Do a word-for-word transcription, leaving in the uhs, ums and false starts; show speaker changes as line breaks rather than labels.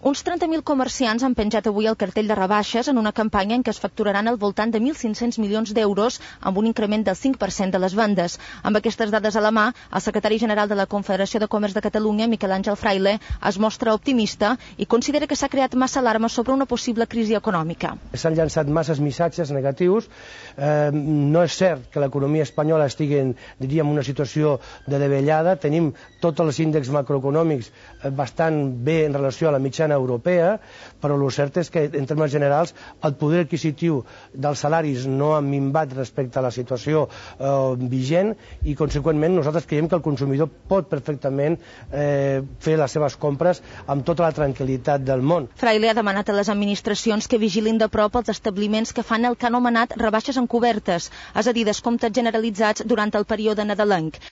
Uns trenta mil comerciants han penjat avui el cartell de rebaixes en una campanya en què es facturaran al voltant de mil cinc-cents milions d'euros amb un increment del cinc per cent de les vendes. Amb aquestes dades a la mà, el secretari general de la Confederació de Comerç de Catalunya, Miquel Àngel Fraile, es mostra optimista i considera que s'ha creat massa alarma sobre una possible crisi econòmica.
S'han llançat masses missatges negatius. Eh, no és cert que l'economia espanyola estigui, diríem, en una situació de davallada. Tenim tots els índexs macroeconòmics bastant bé en relació a la mitjana europea, però el cert és que, en termes generals, el poder adquisitiu dels salaris no ha minvat respecte a la situació eh, vigent i, conseqüentment, nosaltres creiem que el consumidor pot perfectament eh, fer les seves compres amb tota la tranquil·litat del món.
Fraile ha demanat a les administracions que vigilin de prop els establiments que fan el que ha anomenat rebaixes encobertes, és a dir, descomptes generalitzats durant el període nadalenc.